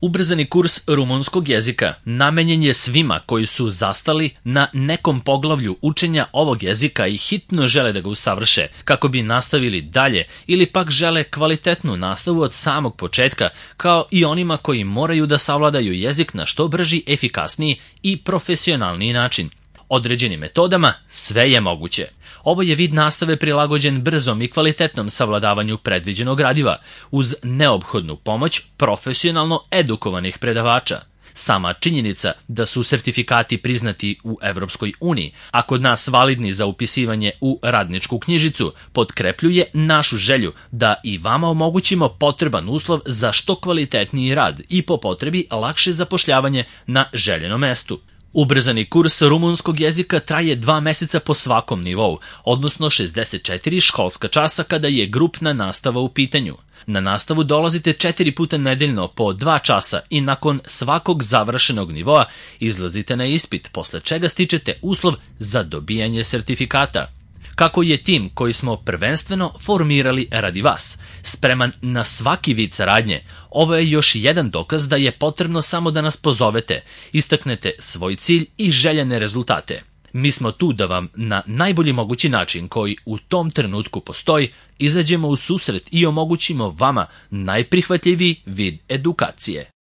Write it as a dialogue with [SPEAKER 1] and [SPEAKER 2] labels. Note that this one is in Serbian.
[SPEAKER 1] Ubrzani kurs rumunskog jezika namenjen je svima koji su zastali na nekom poglavlju učenja ovog jezika i hitno žele da ga usavrše kako bi nastavili dalje ili pak žele kvalitetnu nastavu od samog početka, kao i onima koji moraju da savladaju jezik na što brži, efikasniji i profesionalniji način. Određenim metodama sve je moguće. Ovo je vid nastave prilagođen brzom i kvalitetnom savladavanju predviđenog gradiva, uz neophodnu pomoć profesionalno edukovanih predavača. Sama činjenica da su sertifikati priznati u Evropskoj uniji, a kod nas validni za upisivanje u radničku knjižicu, potkrepljuje našu želju da i vama omogućimo potreban uslov za što kvalitetniji rad i po potrebi lakše zapošljavanje na željenom mestu. Ubrzani kurs rumunskog jezika traje 2 meseca po svakom nivou, odnosno 64 školska časa kada je grupna nastava u pitanju. Na nastavu dolazite 4 puta nedeljno po 2 časa i nakon svakog završenog nivoa izlazite na ispit, posle čega stičete uslov za dobijanje sertifikata. Kako je tim koji smo prvenstveno formirali radi vas spreman na svaki vid saradnje, ovo je još jedan dokaz da je potrebno samo da nas pozovete, istaknete svoj cilj i željene rezultate. Mi smo tu da vam na najbolji mogući način koji u tom trenutku postoji izađemo u susret i omogućimo vama najprihvatljiviji vid edukacije.